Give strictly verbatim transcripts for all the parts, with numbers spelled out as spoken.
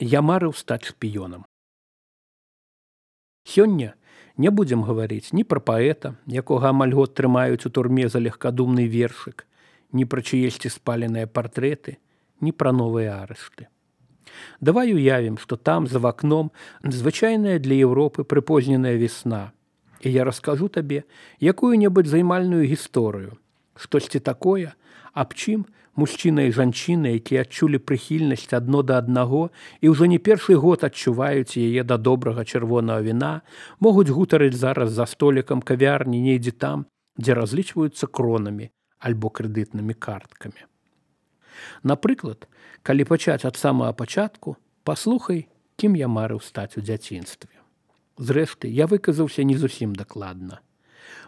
Я марыў стаць шпіёнам. Сёння не будзем гаварыць ні пра паэта, якога амаль год трымаюць у турме за легкадумны вершык, ні пра чыесьці спаленыя партрэты, ні пра новыя арышты. Давай уявім, што там, за вакном, звычайная для Еўропы прыпозненая весна, і я раскажу табе якую-небудзь займальную гісторыю, штосьці такое, аб чым мужчына і жанчына, якія адчулі прыхільнасць адно да аднаго і ўжо не першы год адчуваюць яе да добрага чырвонага віна, могуць гутарыць зараз за столікам кавярні недзе там, дзе разлічваюцца кронамі альбо крэдытнымі карткамі. Напрыклад, калі пачаць ад самага пачатку, паслухай, кім я марыў стаць у дзяцінстве. Зрэшты, я выказаўся не зусім дакладна.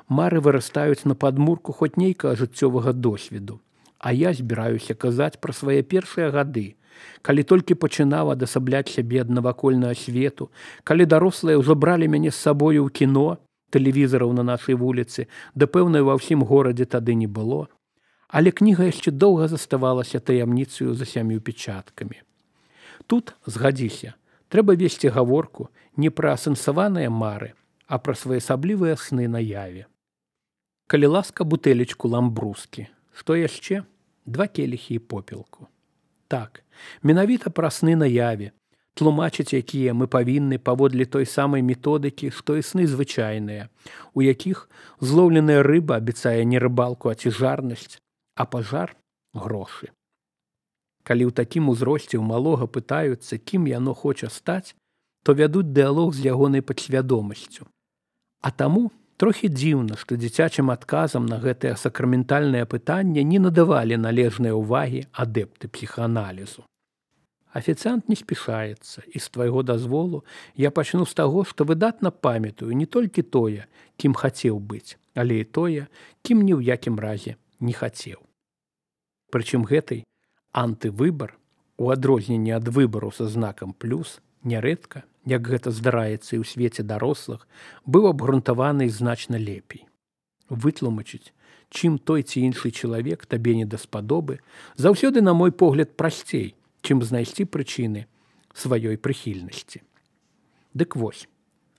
Мары вырастаюць на падмурку хоць нейкага жыццёвага досведу, а я збіраюся казаць пра свае першыя гады, калі толькі пачынаў адасабляць сябе ад навакольнага свету, калі дарослыя ўжо бралі мяне з сабою ў кіно, тэлевізараў на нашай вуліцы, да пэўнай ва ўсім горадзе тады не было, але кніга яшчэ доўга заставалася таямніцаю за сямю печаткамі. Тут, згадзіся, трэба весці гаворку не пра асэнсаваныя мары, а пра своеасаблівыя сны на яве. Калі ласка, бутэлечку ламбрускі. Што яшчэ? Два келіхі і попелку. Так, менавіта пра сны на яве, тлумачыць, якія мы павінны паводле той самай методыкі, што і сны звычайныя, у якіх злоўленая рыба абяцае не рыбалку, а цяжарнасць, а пажар – грошы. Калі ў такім узросце ў малога пытаюцца, кім яно хоча стаць, то вядуць дыялог з ягонай падсвядомасцю. А таму трохі дзіўна, што дзіцячым адказам на гэтае сакраментальнае пытанне не надавалі належнай увагі адэпты псіхааналізу. Афіцыант не спішаецца, і з твайго дазволу я пачну з таго, што выдатна памятаю не толькі тое, кім хацеў быць, але і тое, кім ні ў якім разе не хацеў. Прычым гэтай антывыбар, у адрозненне ад выбару са знакам плюс, нярэдка, як гэта здараецца і ў свеце дарослых, быў абгрунтаваны значна лепей. Вытлумачыць, чым той ці іншы чалавек табе не даспадобы, заўсёды, на мой погляд, прасцей, чым знайсці прычыны сваёй прыхільнасці. Дык вось,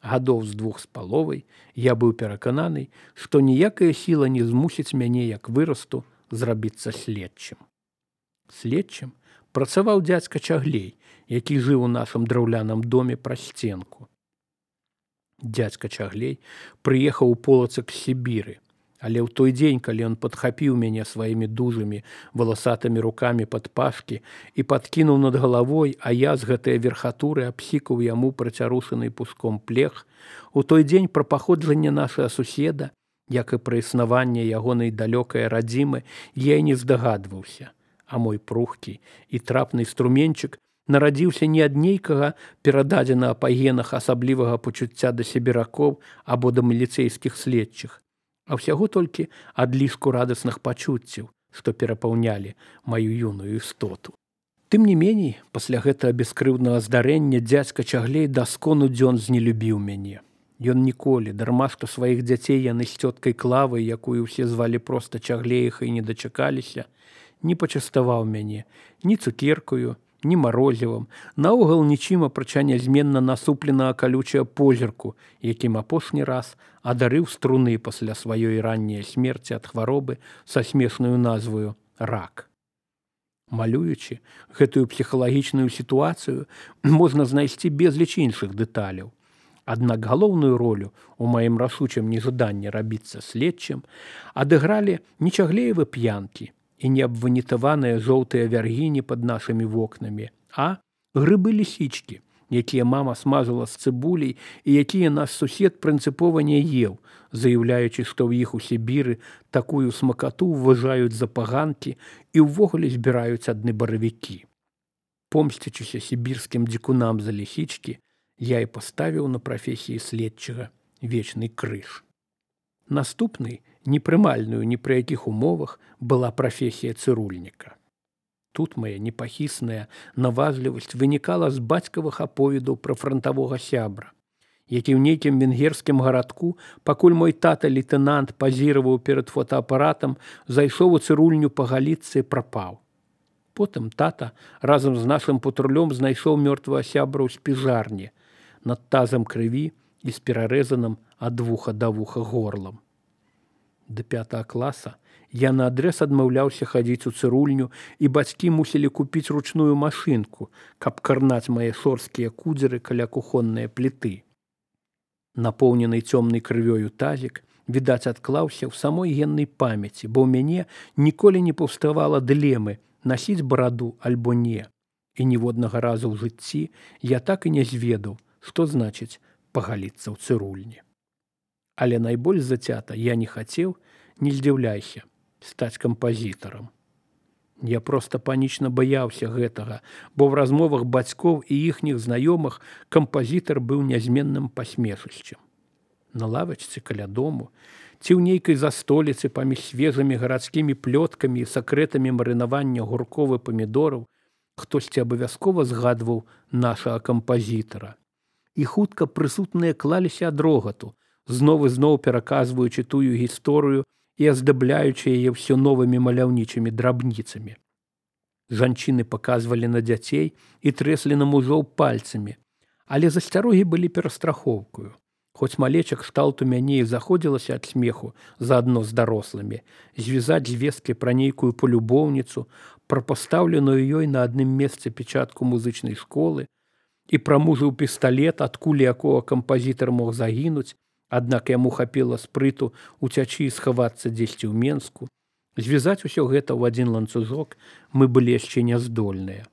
гадоў з двух з паловай я быў перакананы, што ніякая сіла не змусіць мяне, як вырасту, зрабіцца следчым. Следчым працаваў дзядзька Чаглей, які жыў у нашым драўляным доме праз сценку. Дзядзька Чаглей прыехаў у Полацак з Сібіры, але ў той дзень, калі ён падхапіў мяне сваімі дужымі валасатымі рукамі пад пашкі і падкінуў над галавой, а я з гэтай верхатуры абсікаў яму працярушаны пуском плех, у той дзень пра паходжанне нашага суседа, як і пра існаванне ягонай далёкай радзімы, я і не здагадваўся, а мой прухкі і трапны струменчык нарадзіўся не ад нейкага перададзенага па генах асаблівага пачуцця да сібіракоў або да міліцэйскіх следчых, а ўсяго толькі ад лішку радасных пачуццяў, што перапаўнялі маю юную істоту. Тым не меней, пасля гэтага бескрыўднага здарэння дзядзька Чаглейдаскону дзён знелюбіў мяне. Ён ніколі, дарма што сваіх дзяцей яны з цёткай Клавай, якую ўсе звалі проста Чаглеяхай, не дачакаліся, не пачаставаў мяне ні цукеркаю, ні марозівам, наогул нічым апрача нязменна насупленага калючага позірку, якім апошні раз адарыў струны пасля сваёй ранняй смерці ад хваробы са смешнаю назваю рак. Малюючы гэтую псіхалагічную сітуацыю, можна знайсці безліч іншых дэталяў. Аднак галоўную ролю у маім рашучым нежаданні рабіцца следчым адыгралі не Чаглеевы п'янкі і не абванітаваныя жоўтыя вяргіні пад нашымі вокнамі, а грыбы-лісічкі, якія мама смажыла з цыбуляй і якія наш сусед прынцыпова не еў, заяўляючы, што ў іх у Сібіры такую смакату ўважаюць за паганкі і ўвогуле збіраюць адны баравікі. Помсцячыся сібірскім дзікунам за лісічкі, я і паставіў на прафесіі следчага вечны крыж. Наступнай, непрымальную ні пры якіх умовах, была прафесія цырульніка. Тут мая непахісная наважлівасць вынікала з бацькавых аповедаў пра франтавога сябра, які ў нейкім венгерскім гарадку, пакуль мой тата-лейтэнант пазіраваў перад фотаапаратам, зайшоў у цырульню пагаліцца і прапаў. Потым тата разам з нашым патрулём знайшоў мёртвага сябра ў спіжарні над тазам крыві і з перарэзаным ад вуха да вуха горлам. Да пятага класа я наадрэз адмаўляўся хадзіць у цырульню, і бацькі мусілі купіць ручную машынку, каб карнаць мае шорсткія кудзеры каля кухоннай пліты. Напоўнены цёмнай крывёю тазік, відаць, адклаўся ў самой геннай памяці, бо ў мяне ніколі не паўставала дылемы насіць бараду альбо не. І ніводнага разу ў жыцці я так і не зведаў, што значыць пагаліцца ў цырульні. Але найбольш зацята я не хацеў, не здзіўляйся, стаць кампазітарам. Я проста панічна баяўся гэтага, бо ў размовах бацькоў і іхніх знаёмых кампазітар быў нязменным пасмешышчам. На лавачцы каля дому ці ў нейкай застоліцы паміж свежымі гарадскімі плёткамі і сакрэтамі марынавання гурков і памідораў хтосьці абавязкова згадваў нашага кампазітара. І хутка прысутныя клаліся ад рогату, зноў і зноў пераказваючы тую гісторыю і аздабляючы яе ўсё новымі маляўнічымі драбніцамі. Жанчыны паказвалі на дзяцей і трэслі на мужоў пальцамі, але засцярогі былі перастрахоўкаю. Хоць малечак кшталту мяне і заходзілася ад смеху заадно з дарослымі, звязаць звесткі пра нейкую полюбоўніцу, пра пастаўленую ёй на адным месцы печатку музычнай школы і пра мужаў пісталет, ад кулі якога кампазітар мог загінуць, аднак яму хапіла спрыту уцячы і схавацца дзесьці ў Менску. Звязаць усё гэта ў адзін ланцужок мы былі яшчэ няздольныя.